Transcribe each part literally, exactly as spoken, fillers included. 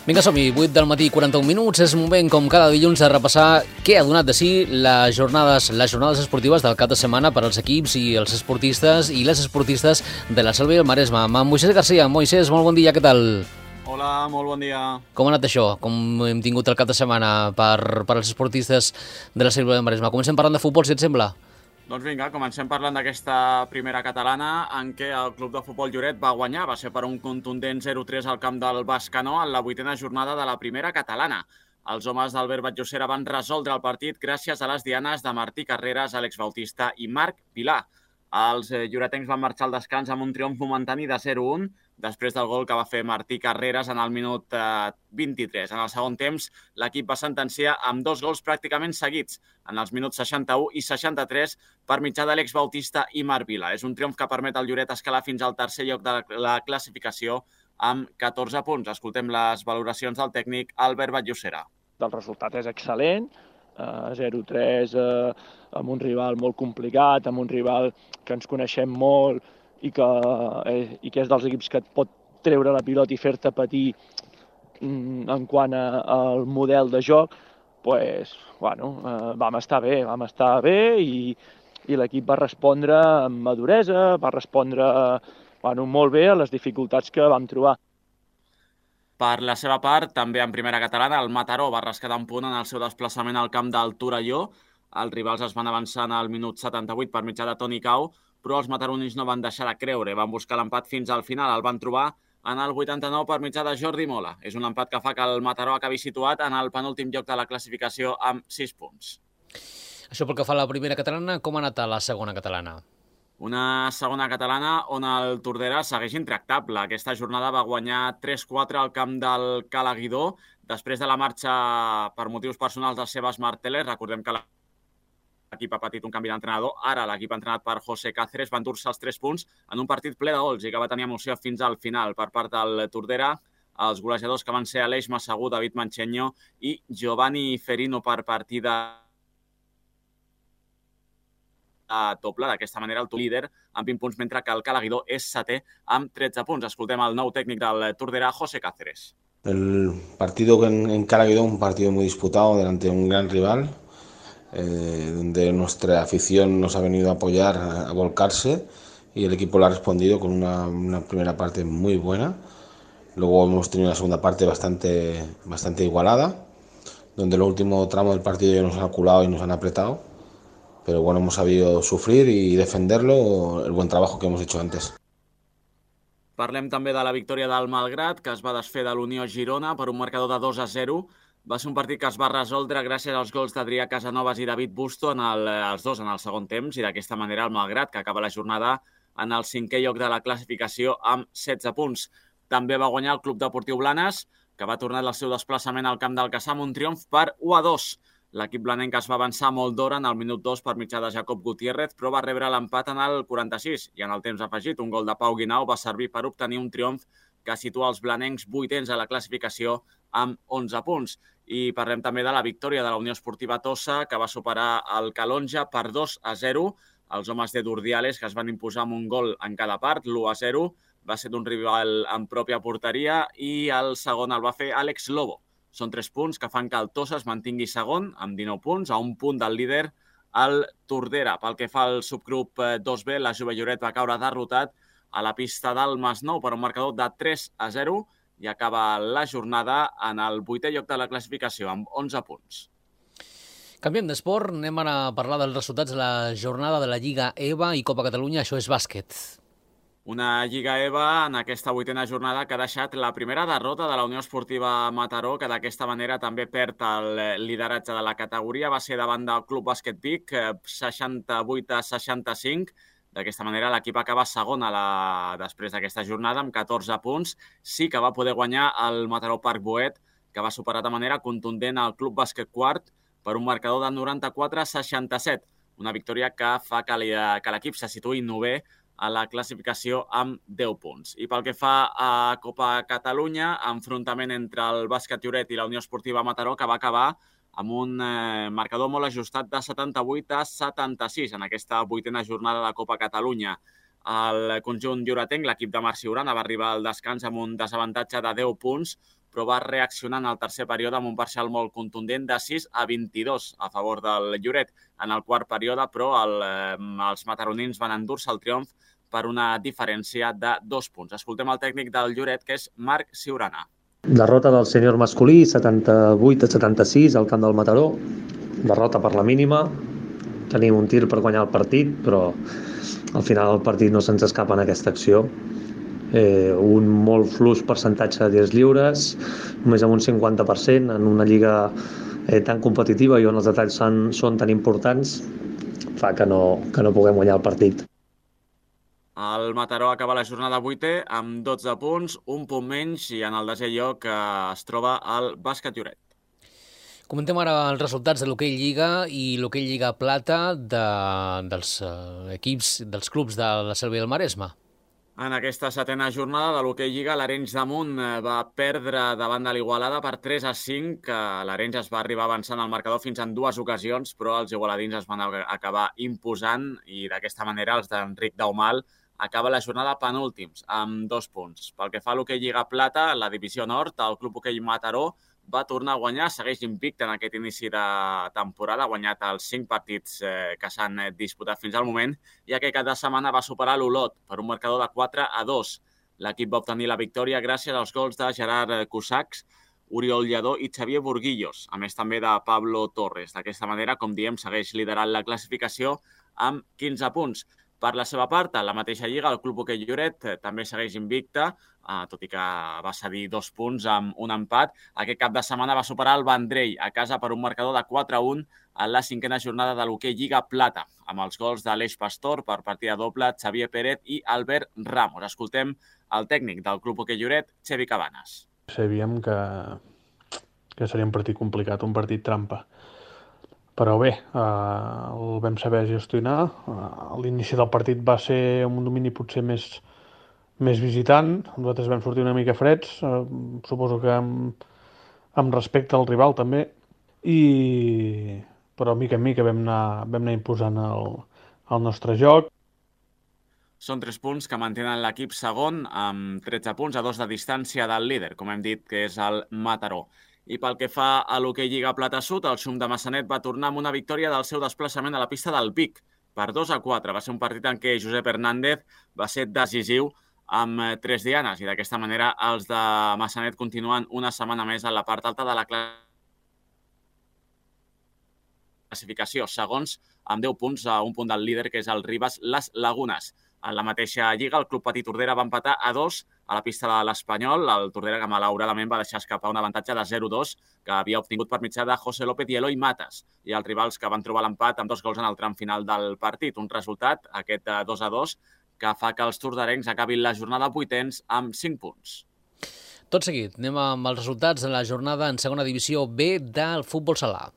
Vinga, som-hi, vuit del matí, quaranta-un minuts. És moment, com cada dilluns, de repassar què ha donat de si les jornades, les jornades esportives del cap de setmana per als equips i els esportistes i les esportistes de la Selva i el Maresme. Amb Moisés Garcia. Moisés, molt bon dia, què tal? Hola, molt bon dia. Com ha anat això? Com hem tingut el cap de setmana per, per als esportistes de la Selva i el Maresme? Comencem parlant de futbol, si et sembla. Doncs vinga, comencem parlant d'aquesta primera catalana en què el Club de Futbol Lloret va guanyar. Va ser per un contundent zero tres al camp del Bescanó en la vuitena jornada de la primera catalana. Els homes d'Albert Batllocera van resoldre el partit gràcies a les dianes de Martí Carreras, Àlex Bautista i Marc Pilar. Els lloretencs van marxar al descans amb un triomf momentani de zero un després del gol que va fer Martí Carreras en el minut vint-i-tres. En el segon temps, l'equip va sentenciar amb dos gols pràcticament seguits, en els minuts seixanta-u i seixanta-tres, per mitjà d'Àlex Bautista i Marc Vila. És un triomf que permet al Lloret escalar fins al tercer lloc de la classificació amb catorze punts. Escoltem les valoracions del tècnic Albert Batllocera. El resultat és excel·lent, zero tres amb un rival molt complicat, amb un rival que ens coneixem molt i que, i que és dels equips que et pot treure la pilota i fer-te patir en quant al model de joc, pues, bueno, vam estar bé, vam estar bé i, i l'equip va respondre amb maduresa, va respondre bueno, molt bé a les dificultats que vam trobar. Per la seva part, també en primera catalana, el Mataró va rescatar un punt en el seu desplaçament al camp del Torelló. Els rivals es van avançar al minut setanta-vuit per mitjà de Toni Cau, però els mataronins no van deixar de creure, van buscar l'empat fins al final, el van trobar en el vuitanta-nou per mitjà de Jordi Mola. És un empat que fa que el Mataró acabi situat en el penúltim lloc de la classificació amb sis punts. Això pel que fa a la primera catalana, com ha anat a la segona catalana? Una segona catalana on el Tordera segueix intractable. Aquesta jornada va guanyar tres quatre al camp del Cala Guidó, després de la marxa per motius personals del Sebas Martínez. Recordem que l'equip ha patit un canvi d'entrenador. Ara l'equip entrenat per José Cáceres va endur-se els tres punts en un partit ple de gols i que va tenir emoció fins al final per part del Tordera. Els golejadors que van ser Aleix Massagú, David Mancheño i Giovanni Ferino per partida a doble. D'aquesta manera el líder amb vint punts, mentre que el Cala Guidó és setè amb tretze punts. Escoltem el nou tècnic del Tordera, José Cáceres. El partido en, en Cala Guidó, un partido muy disputado delante de un gran rival, eh, donde nuestra afición nos ha venido a apoyar, a, a volcarse, y el equipo lo ha respondido con una, una primera parte muy buena. Luego hemos tenido una segunda parte bastante, bastante igualada, donde el último tramo del partido ya nos han culado y nos han apretado. Pero bueno, hemos sabido sufrir y defenderlo, el buen trabajo que hemos hecho antes. Parlem també de la victòria del Malgrat, que es va desfer de l'Unió Girona per un marcador de dos a zero. Va ser un partit que es va resoldre gràcies als gols d'Adrià Casanovas i David Busto, en el, els dos en el segon temps, i d'aquesta manera el Malgrat, que acaba la jornada en el cinquè lloc de la classificació amb setze punts. També va guanyar el Club Deportiu Blanes, que va tornar el seu desplaçament al camp del Cassà amb un triomf per u a dos. L'equip blanenc es va avançar molt d'hora en el minut dos per mitjà de Jacob Gutiérrez, però va rebre l'empat en el quaranta-sis i en el temps afegit un gol de Pau Guinau va servir per obtenir un triomf que situa els blanencs vuitens a la classificació amb onze punts. I parlem també de la victòria de la Unió Esportiva Tossa, que va superar el Calonja per dos a zero. Els homes de Durdiales, que es van imposar amb un gol en cada part, l'u a zero, va ser d'un rival en pròpia porteria i el segon el va fer Àlex Lobo. Són tres punts que fan que el Tossa es mantingui segon amb dinou punts, a un punt del líder, el Tordera. Pel que fa al subgrup dos B, la Jove Lloret va caure derrotat a la pista del Masnou per un marcador de tres a zero i acaba la jornada en el vuitè lloc de la classificació amb onze punts. Canviem d'esport, anem a parlar dels resultats de la jornada de la Lliga EVA i Copa Catalunya, això és bàsquet. Una Lliga EVA en aquesta vuitena jornada que ha deixat la primera derrota de la Unió Esportiva Mataró, que d'aquesta manera també perd el lideratge de la categoria. Va ser davant del Club Bàsquet Vic, seixanta-vuit a seixanta-cinc. D'aquesta manera l'equip acaba segon a la... després d'aquesta jornada amb catorze punts. Sí que va poder guanyar el Mataró Parc Boet, que va superar de manera contundent el Club Bàsquet Quart per un marcador de noranta-quatre a seixanta-set. Una victòria que fa que l'equip se situï novè a la classificació amb deu punts. I pel que fa a Copa Catalunya, enfrontament entre el Bàsquet Lloret i la Unió Esportiva Mataró, que va acabar amb un eh, marcador molt ajustat de setanta-vuit a setanta-sis en aquesta vuitena jornada de Copa Catalunya. El conjunt lloretenc, l'equip de Marc Siurana, va arribar al descans amb un desavantatge de deu punts, però va reaccionar en el tercer període amb un parcial molt contundent de sis a vint-i-dos a favor del Lloret. En el quart període, però, el, eh, els mataronins van endur-se el triomf per una diferència de dos punts. Escoltem el tècnic del Lloret, que és Marc Ciurana. Derrota del sènior masculí, setanta-vuit a setanta-sis al camp del Mataró. Derrota per la mínima. Tenim un tir per guanyar el partit, però al final el partit no se'ns escapa en aquesta acció. Eh, un molt fluix percentatge de tirs lliures, només amb un cinquanta per cent en una lliga eh, tan competitiva i on els detalls són, són tan importants, fa que no, que no puguem guanyar el partit. El Mataró acaba la jornada vuitè amb dotze punts, un punt menys, i en el desè lloc es troba el Bàsquet Lloret. Comentem ara els resultats de l'hoquei Lliga i l'hoquei Lliga Plata de, dels uh, equips, dels clubs de la Selva i el Maresme. En aquesta setena jornada de l'hoquei Lliga, l'Arenys de Munt va perdre davant de l'Igualada per tres a cinc. L'Arenys es va arribar avançant al marcador fins en dues ocasions, però els igualadins es van acabar imposant i d'aquesta manera els d'Enric Daumal acaba la jornada penúltims, amb dos punts. Pel que fa a l'hoquei Lliga Plata, la divisió nord, el Club Hoquei Mataró va tornar a guanyar, segueix invicte en aquest inici de temporada, ha guanyat els cinc partits eh, que s'han disputat fins al moment, i aquest cap de setmana va superar l'Olot per un marcador de quatre a dos. L'equip va obtenir la victòria gràcies als gols de Gerard Cusacs, Oriol Lledó i Xavier Burguillos, a més també de Pablo Torres. D'aquesta manera, com diem, segueix liderant la classificació amb quinze punts. Per la seva part, a la mateixa lliga, el Club Hoquei Lloret també segueix invicte, eh, tot i que va cedir dos punts amb un empat. Aquest cap de setmana va superar el Vendrell a casa per un marcador de quatre a un en la cinquena jornada de l'hoquei Lliga Plata, amb els gols d'Aleix Pastor per partida doble, Xavier Pérez i Albert Ramos. Escoltem el tècnic del Club Hoquei Lloret, Xevi Cabanes. Sabíem que, que seria un partit complicat, un partit trampa. Però bé, eh, el vam saber gestionar. Eh, l'inici del partit va ser un domini potser més, més visitant. Nosaltres vam sortir una mica freds, eh, suposo que amb, amb respecte al rival també, i però mica en mica vam anar, vam anar imposant el, el nostre joc. Són tres punts que mantenen l'equip segon amb tretze punts a dos de distància del líder, com hem dit, que és el Mataró. I pel que fa a l'hoquei Lliga Plata Sud, el Xum de Massanet va tornar amb una victòria del seu desplaçament a la pista del Vic per dos a quatre. Va ser un partit en què Josep Hernández va ser decisiu amb tres dianes i d'aquesta manera els de Massanet continuen una setmana més a la part alta de la classificació, segons amb deu punts a un punt del líder, que és el Ribas Les Lagunes. En la mateixa lliga, el Club Petit Tordera va empatar a dos a la pista de l'Espanyol. El Tordera, que malauradament va deixar escapar un avantatge de zero a dos que havia obtingut per mitjà de José López i Eloi Matas, i els rivals que van trobar l'empat amb dos gols en el tram final del partit. Un resultat, aquest dos a dos, que fa que els torderencs acabin la jornada vuitens amb cinc punts. Tot seguit, anem amb els resultats de la jornada en segona divisió B del futbol sala.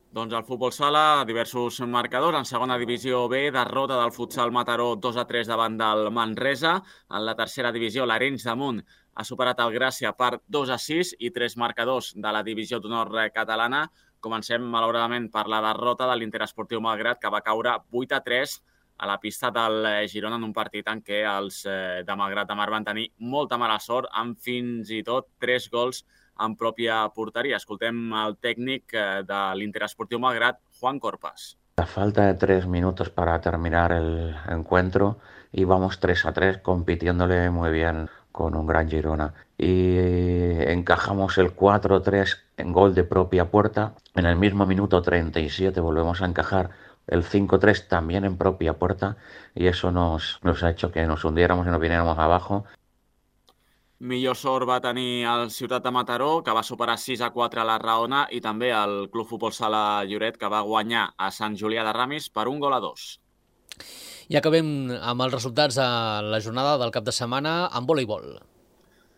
Doncs el futbol sala, diversos marcadors. En segona divisió B, derrota del futsal Mataró dos a tres davant del Manresa. En la tercera divisió, l'Arenys de Munt ha superat el Gràcia per dos a sis i tres marcadors de la divisió d'honor catalana. Comencem, malauradament, per la derrota de l'Interesportiu Malgrat, que va caure vuit a tres a la pista del Girona en un partit en què els de Malgrat de Mar van tenir molta mala sort amb fins i tot tres gols en pròpia porteria. Escoltem el tècnic de l'Interesportiu Malgrat, Juan Corpas. A falta de tres minutos para terminar el encuentro, íbamos tres a tres compitiéndole muy bien con un gran Girona. Y encajamos el cuatro a tres en gol de propia puerta. En el mismo minuto treinta y siete volvemos a encajar el cinco a tres también en propia puerta, y eso nos, nos ha hecho que nos hundiéramos y nos viniéramos abajo. Millor sort va tenir el Ciutat de Mataró, que va superar sis a quatre a la Raona, i també el Club Futbol Sala Lloret, que va guanyar a Sant Julià de Ramis per un gol a dos. I acabem amb els resultats de la jornada del cap de setmana en voleibol.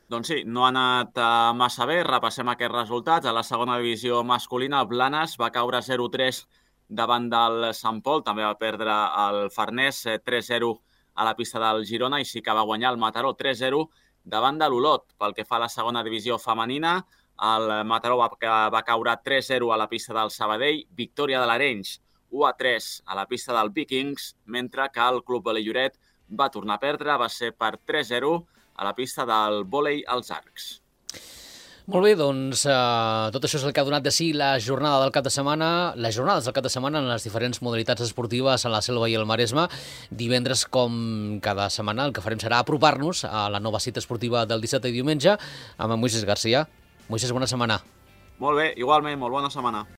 Doncs sí, no ha anat massa bé. Repassem aquests resultats. A la segona divisió masculina, el Blanes va caure zero a tres davant del Sant Pol. També va perdre el Farners tres a zero a la pista del Girona, i sí que va guanyar el Mataró tres a zero davant de l'Olot. Pel que fa a la segona divisió femenina, el Mataró va, va caure tres a zero a la pista del Sabadell, victòria de l'Arenys u a tres a la pista del Vikings, mentre que el Club Volei Lloret va tornar a perdre, va ser per tres a zero a la pista del Volei als Arcs. Molt bé, doncs eh, tot això és el que ha donat de si la jornada del cap de setmana, les jornades del cap de setmana en les diferents modalitats esportives a la Selva i el Maresme. Divendres, com cada setmana, el que farem serà apropar-nos a la nova cita esportiva del dissabte i diumenge amb en Moisés Garcia. Moisés, bona setmana. Molt bé, igualment, molt bona setmana.